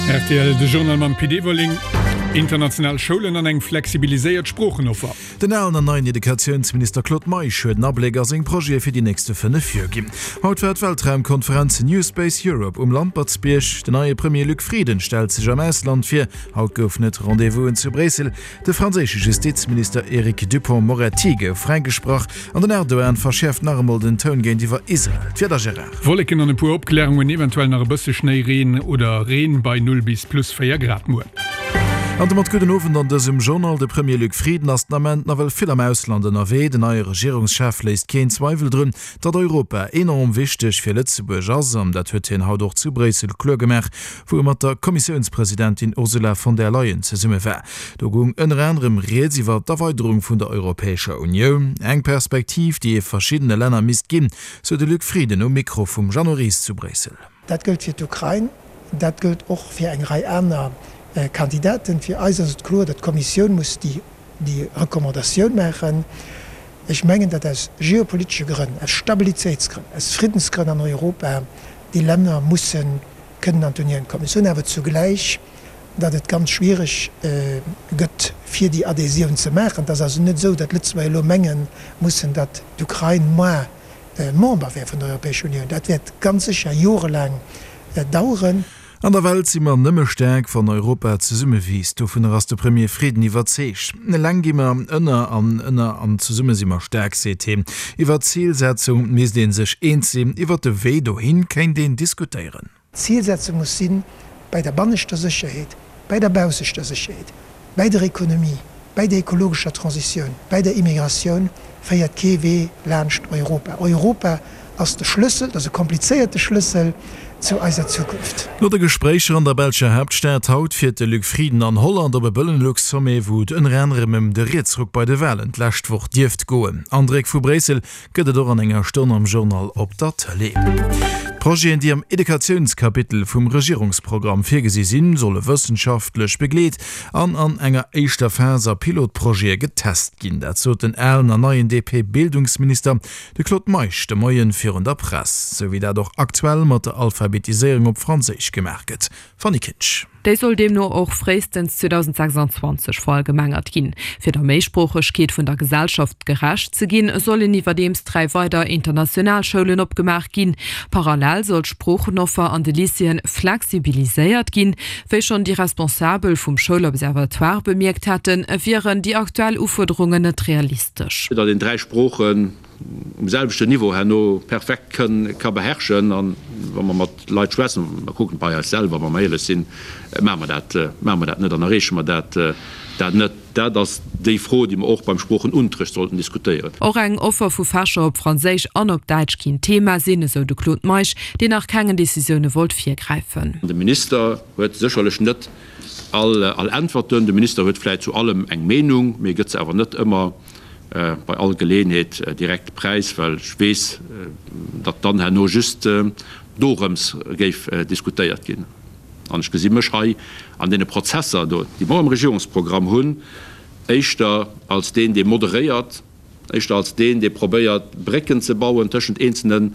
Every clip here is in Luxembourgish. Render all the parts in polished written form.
Rtl, De Journal mam Pit Everling. International Schoulen an eng flexibiliséiert Sproochenoffer. Den alen an neien Educatiounsminister Claude Meisch huet en Abléck a seng Projete fir déi nächste 5 Joer ginn. Haut war d'Weltraumkonferenz New Space Europe um Lampertsbierg. Den neie Premier Luc Frieden stellt sech am Ausland vir. Haut goufen et Rendez-vousen zu Bréissel. De franséische Justizminister Eric Dupond-Moretti gouf fräigesprach an den Erdogan verschäerft nach emol den Toun géintiwwer Israel. D'Wieder, Gérard. Wolleken an e puer Opklärungen, eventuell nach e bësse Schnéi, Reen oder Reen bei 0 bis plus 4 Grad muer. An domat gudden Owend an dësem Journal. De Premier Luc Frieden ass den Ament nawell vill am Ausland ënnerwee. Den neie Regierungschef léisst keen Zweiwel drun, datt Europa enorm wichteg fir Lëtzebuerg ass. An dat huet hien haut och zu Bréissel kloer gemaach, wou e mat der Kommissiounspresidentin Ursula von der Leyen zesumme war. Do goung ënner anerem rieds iwwer d'Erweiderung vun der Europäescher Unioun, eng Perspektiv, déi ee verschiddene Länner misst ginn, sou de Luc Frieden um Mikro vum Jeannot Ries zu Bréissel. Dat gëllt fir d'Ukrain, dat gëllt och fir eng Rei aner Kandidaten. Fir eis ass et kloer, datt d'Kommissioun muss déi Recommandatioun maachen. Ech mengen, datt aus geopolitesche Grënn, aus Stabilitéitsgrënn, aus Friddensgrënn an Europa déi Länner musse kënnen an d'Unioun kommen. Ech soen awer zugläich, datt et ganz schwiereg gëtt, fir déi Adhésioun ze maachen. Et ass also net esou, datt d'Lëtzebuerger elo menge mussen, datt d'Ukrain moar Member wär vun der Europäescher Unioun. Dat wäert ganz sécher jorelaang daueren. An der Welt si mer nëmme staark, wann Europa zesumme wiisst. Dovunner ass de Premier Frieden iwwerzeegt. Eleng gi mer ënner an ënner an zesumme si mer staark, seet hien. Iwwer d'Zilsetzung misst ee sech eens sinn, iwwer de Wee dohin kéint een diskutéieren. D'Zilsetzung muss sinn, bei der banneschter Sécherheet, bei der baussechter Sécherheet, bäi der Ekonomie, bäi der ekologescher Transitioun, bäi der Immigratioun féiert kee Wee laanscht Europa. Europa ass de Schlëssel, et ass e komplizéierte Schlëssel zu eiser Zukunft. No de Gespréicher an der belscher Haaptstad haut fiert de Luc Frieden an Holland op e Bëlenlux-Sommet, wou et ënner anerem ëm de Rietsruck bei de Walen d'lescht Woch dierft goen. Andréck vu Bréissel Gëtt et och an enger Stonn am Journal op der Tëlee. D'Projeten, déi am Educatiounskapitel vum Regierungsprogramm virgesi sinn, solle wëssenschaftlech begleet an an enger éischter Phas a Pilotprojete getest ginn. Dat sot den alen an neien DP-Bildungsminister, de Claude Meisch, de Moien virun der Press. Sou wéi dat och aktuell mat der Alphabetiséierung op Franséisch gemaach gëtt. Fanny Kinsch. Déi soll deemno och fréistens 2026 verallgemengert ginn. Fir der Méisproochegkeet vun der Gesellschaft gerecht ze ginn, sollen iwwerdeems 3 weider international Schoulen opgemaach ginn. Parallel soll d'Sproochenoffer an de Lycéeën flexibiliséiert ginn. Wéi schonn déi Responsabel vum Schoulobservatoire bemierkt haten, wieren déi aktuell Ufuerderungen net realistesch. Datt een 3 Sproochen um selwechten Niveau herno perfekt ka beherrschen. A wa mer mat Leit schwätzen, mer kucken bei eis selwer, wa mer éierlech sinn, maache mer dat, maache mer dat net an erreeche mer dat dat net. Dat ass déi Fro, déi mer och beim Sproochenunterrecht sollten diskutéieren. Och eng Offer vu Fächer op Franséisch an op Däitsch kinnt Thema sinn, esou de Claude Meisch, deen nach kengen Decisioune wollt virgräifen. De Minister huet sécherlech net all Äntwerten. De Minister huet vläicht zu allem eng Meenung, mee gëtt se awer net ëmmer bei all Geleeënheet direkt präis, well ech weess, datt dann herno just dorëms géif diskutéiert ginn. An ech gesi mech hei an deene Prozesser do, déi mer am Regierungsprogramm hunn, éischter als deen, dee moderéiert, éischter als deen, dee probéiert, Brécken ze bauen tëschent eenzelne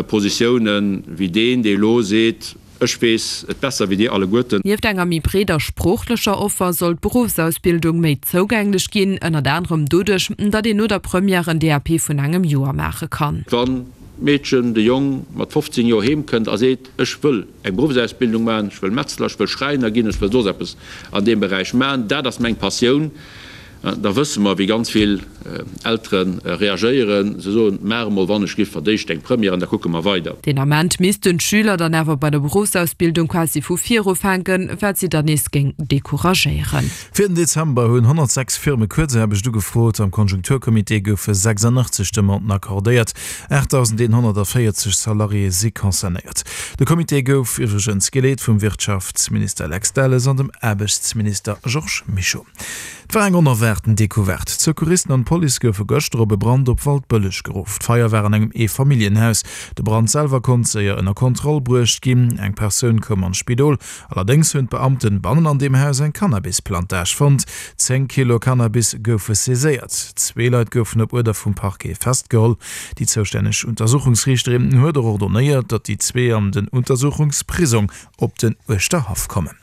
Positiounen, wéi deen, dee elo seet, Ech weess et besser wéi dir alleguerten. Nieft enger méi breeder sproochlecher Offer soll d'Beruffsausbildung méi zougänglech ginn, ënnert anerem doduerch, datt een no der Première en DAP vun engem Joer maache kann. Wann d'Meedchen, de Jong mat 15 Joer heem kënnt a seet, ech wëll eng Beruffsausbildung maachen, ech wëll Metzler, ech wëll Schräiner ginn, ech wëll soss eppes an deem Beräich maachen, dat ass meng Passioun, Da wësse mer, wéi ganz vill Eltere reagéieren. Se soen, Maach emol wann ech giff verdéischt eng Première an da kucke mer weider. Deen Ament missten d'Schüler dann awer bei der Beruffsausbildung quasi vu vir ufänken, wat si dann nees géing decouragéieren. Fir den Dezember hunn 106 Firme Kuerzaarbecht ugefrot. Am Konjunkturcomité goufe 86 Demanden accordéiert. 8.140 Salariéë si concernéiert. De Comité gouf iwwregens geleet vum Wirtschaftsminister Lex Delles an dem Aarbechtsminister Georges Mischo. Et war eng onerwaart. erwaarten Decouverte. D'Secouristen an d'Police goufe gëschter op e Brand op Waldbëlleg geruff. D'Feier war an engem Eefamilljenhaus. De Brand selwer konnt séier ënner Kontroll bruecht ginn. Eng Persoun koum an d'Spidol. Allerdéngs hunn d'Beamten bannen an deem Haus eng Cannabisplantage fonnt. 10 Kilo Cannabis goufe saiséiert. Zwee Leit goufen op Uerder vum Parquet festgeholl. Déi zoustänneg Untersuchungsriichterin huet och ordonéiert, datt déi zwee an den Untersuchungsprisong op den Uerschterhaff kommen.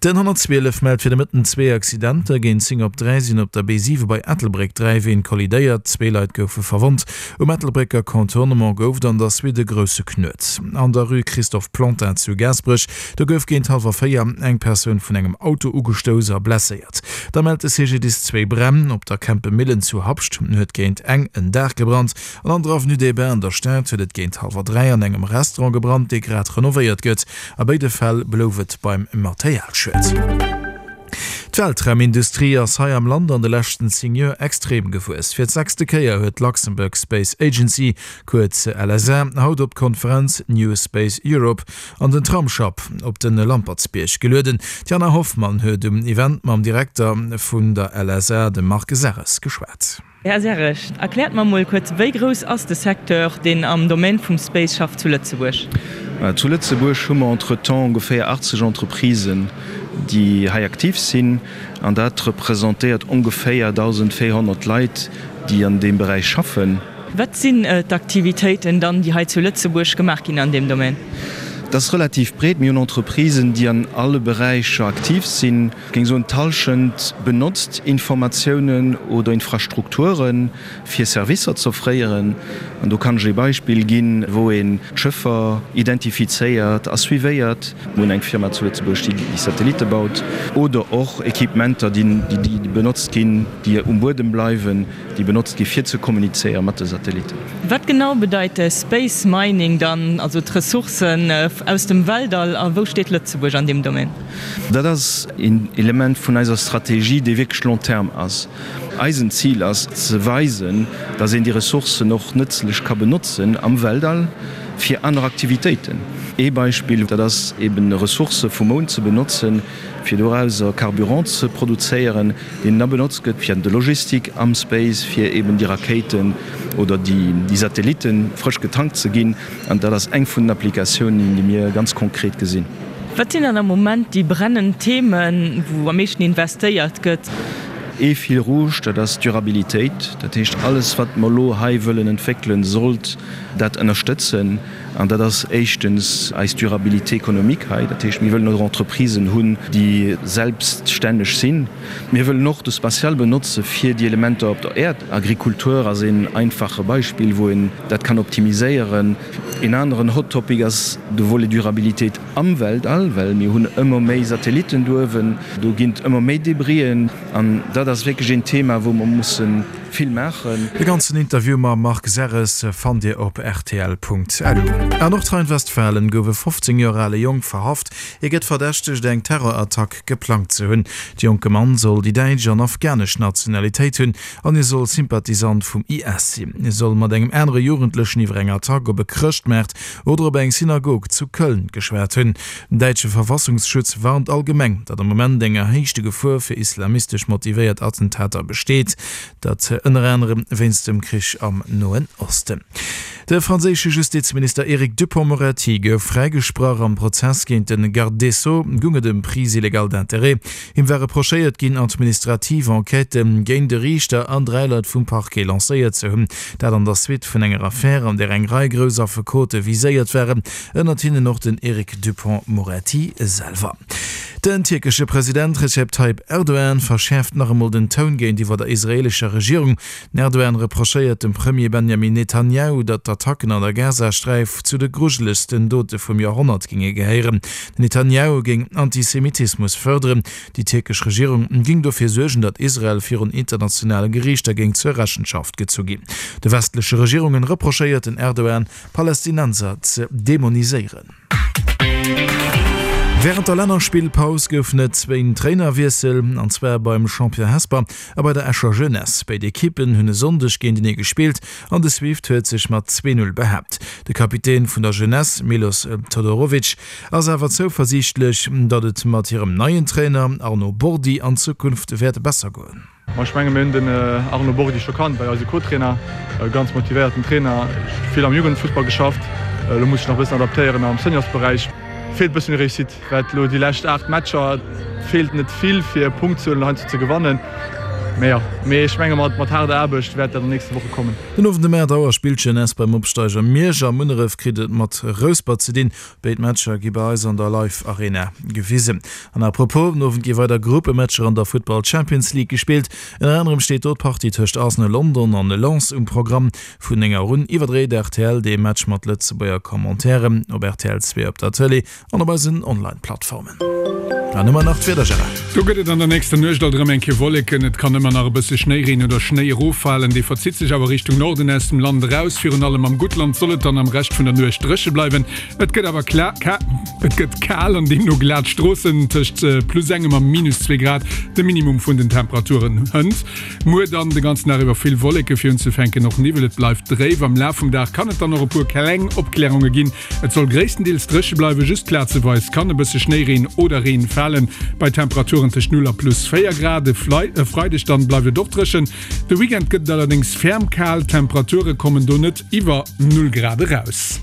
Den 112 mellt fir de Mëtten zwee Accidenter. Géint 10 op 3 sinn op der B7 bei Ettelbréck 3 Ween kollidéiert. Zwee Leit goufe verwonnt. Um Ettelbrécker Contournement gouf et an der Suite e grousse Knuet. An der Rue Christophe Plantin zu Gaasperech, do gouf géint hallwer 4 eng Persoun vun engem Auto ugestouss a blesséiert. Da mellt de CGDIS zwéi Bränn. Op der Kempemillen zu Habscht huet géint eng en Daach gebrannt. An an der Avenue des Bains an der Stad huet et géint hallwer 3 an engem Restaurant gebrannt, dee grad renovéiert gëtt. A béide Fäll blouf et beim Materialschued. D'Weltraumindustrie ass hei am Land an de leschten 10 Joer extrem gewuess. Fir d'sechste Kéier huet d'Luxembourg Space Agency, kuerz LSA, haut op d'Konferenz New Space Europe an den Tramsschapp op de Lampertsbierg gelueden. D'Jana Hoffmann huet um Event mam Direkter vun der LSA, dem Marc Serres, geschwat. Här Serres, erkläert mer mol kuerz, wéi grouss ass de Secteur, deen am Domaine vum Space schafft zu Lëtzebuerg? Zu Lëtzebuerg hu mer entretemps ongeféier 80 Entreprisen, déi hei aktiv sinn, an dat representéiert ongeféier 1.400 Leit, déi an deem Beräich schaffen. Wat sinn d'Aktivitéiten dann, déi hei zu Lëtzebuerg gemaach ginn an deem Domaine? Dat ass relativ breet. Mir hunn Entreprisen, déi an alle Beräicher aktiv sinn. Ech géing soen, d'Hallschent benotzt Informatiounen oder Infrastrukture fir Servicer z'offréieren. An do kann ech ee Beispill ginn, wou een d'Schëffer identifizéiert a suivéiert. Mir hunn eng Firma zu Lëtzebuerg, déi déi Satellitte baut. Oder och Equipementer, déi benotzt ginn, déi um Buedem bleiwen, déi benotzt gi fir ze kommunizéiere mat de Satellitten. Wat genau bedeit Space Mining dann, also d'Ressourcen aus dem Weltall, a wou steet Lëtzebuerg an deem Domaine? Dat ass een Element vun eiser Strategie, dee wierklech long terme ass. Eisen Zil ass ze weisen, datt een déi Ressourcen och nëtzlech ka benotzen am Weltall fir aner Aktivitéiten. Ee Beispill, dat ass eben Ressourcë vum Mound ze benotzen, fir dorauser Carburant ze produzéieren, deen da benotzt gëtt fir de Logistik am Space, fir eben déi Rakéiten oder déi Satellitte frësch getankt ze ginn. An dat ass eng vun den Applikatiounen, déi mir ganz konkret gesinn. Wat sinn dann am Moment déi brennend Themen, wou am meeschten investéiert gëtt? Ee Fil rouge, dat ass d'Durabilitéit. Dat heescht, alles wat mer elo hei wëllen entwéckelen, sollt dat ënnerstëtzen. An dat ass éischtens eis Durabilité économique hei. Dat heescht, mir wëllen och Entreprisen hunn, déi selbststänneg sinn. Mir wëllen och de Spatial benotze fir déi Elementer op der Äerd. Agrikultur ass een einfache Beispill, wou een dat kann optimiséieren. Een aneren Hot Topic ass de Volet Durabilitéit am Weltall, well mir hunn ëmmer méi Satellitten douewen, do ginn et ëmmer méi Debrien an dat ass wierklech een Thema, wou mer musse vill maachen. De ganzen Interview mam Marc Serres fannt Dir op rtl.lu. A Nordrhein-Westfalen gouf e 15 Joer ale Jong verhaft. Hie gëtt verdächtegt, eng Terrorattack geplangt ze hunn. De jonke Mann soll déi däitsch an afghanesch Nationalitéit hunn an hie soll Sympathisant vum IS sinn. Hie soll mat engem anere Jugendlechen iwwer eng Attack op e Chrëschtmaart oder op eng Synagog zu Köln geschwat hunn. Den däitsche Verfassungsschutz warnt allgemeng, datt am Moment eng erhéichte Gefor fir islamistesch motivéiert Attentater besteet, dat ënner anerem wéinst dem Krich am Noen Osten. De franséische Justizminister Eric Dupond-Moretti gouf fräigesprach. Am Prozess géint de Garde des Sceaux goung et ëm Prise illégale d'intérêts. Him war reprochéiert ginn, administrativ Enquêtë géint e Riichter an 3 Leit vum Parquet lancéiert ze hunn. Dat an der Suite vun enger Affär, an där eng Rei grouss Affekote viséiert waren, ënnert hinnen och den Eric Dupond-Moretti selwer. Den tierkesche President Recep Tayyip Erdogan verschäerft nach emol den Toun géintiwwer der israeelescher Regierung. Den Erdogan reprochéiert dem Premier Benjamin Netanjahu, datt d'Attacken an der Gazasträif zu de grujelegsten Dote vum Joerhonnert géinge gehéieren. Den Netanjahu géing Antisemitismus fërderen. Déi tierkesch Regierung géing dofir suergen, datt Israel virun internationale Geriichter géing zur Rechenschaft gezu ginn. De westleche Regierungen reprochéiert den Erdogan, Palästinenser ze demoniséieren. Wärend der Lännerspillpaus goufen et zwéin Trainerwiessel, an zwar beim Champion Hesper a bei der Escher Jeunesse. Béid Ekippen hunn e Sonndeg géintenee gespillt an de Swift huet sech mat 2, 0 behaapt. De Kapitän vun der Jeunesse, Milos Todorovic, ass awer zouversiichtlech, datt et mat hirem neien Trainer Arnaud Bordi an Zukunft wäert besser goen. Ma ech menge mir hunn den Arno Borghi scho kannt, war jo eise Co-Trainer, e ganz motivéierten Trainer, vill am Jugendfussball geschafft, elo muss sech nach e bëssen adaptéieren am Seniorsberäich. Feelt e bëssen Réussite, wat elo déi lescht 8 Matcher, feelt net vill fir e Punkt ze huelen an heiansdo ze gewannen. Mee jo, mee ech menge mat haarder Aarbecht wäert dat an den nächste Woche kommen. Den Owend um 8 Auer spillt d'Jeunesse beim Opsteiger Miersch a Munneref kritt et mat Rouspert ze dinn. Béid Matcher gi bei eis an der Live Arena gewisen. An à propos, den Owend gi weider Gruppematcher an der Futtball Champions League gespillt. Ënner anerem steet do d'Partie tëscht Arsenal London an Lens um Programm. Vun 9 Auer un iwwerdréit rtl dee Match mat Lëtzebuerger Commentairen op rtl 2 op der Tëlee an op eisen Online-Plattformen. An ëmmer nach d'Wieder, Gérard. Do gëtt et an der nächster Nuecht alt erëm eng Kéier Wolleken, et kann ëmmer nach e bësse Schnéireen oder Schnéi eroffalen. Dee verzitt sech awer Richtung Norden aus dem Land eraus. Virun allem am Guttland soll et dann am Rescht vun der Nuecht dréche bleiwen. Et gëtt awer kla ka et gëtt kal an deemno glat Stroossen, tëscht plus engem a minus zwee Grad de Minimum vun den Temperaturen hënt. Muer dann de ganzen Dag iwwer vill Wolleke, fir unzefänken och Niwwel. Et bleift dréif. Am Laf vum Dag kann et dann och e puer kleng Opklärunge ginn. Et soll gréisstendeels dréche bleiwen, just plazeweis kann e bësse Schnéireen oder Reen falen, bei Temperaturen tëscht 0 a plus 4 Grad. E Freideg dann bleift et och dréchen, de Weekend gëtt et allerdéngs ferm kal, d'Temperature kommen do net iwwer 0 Grad eraus.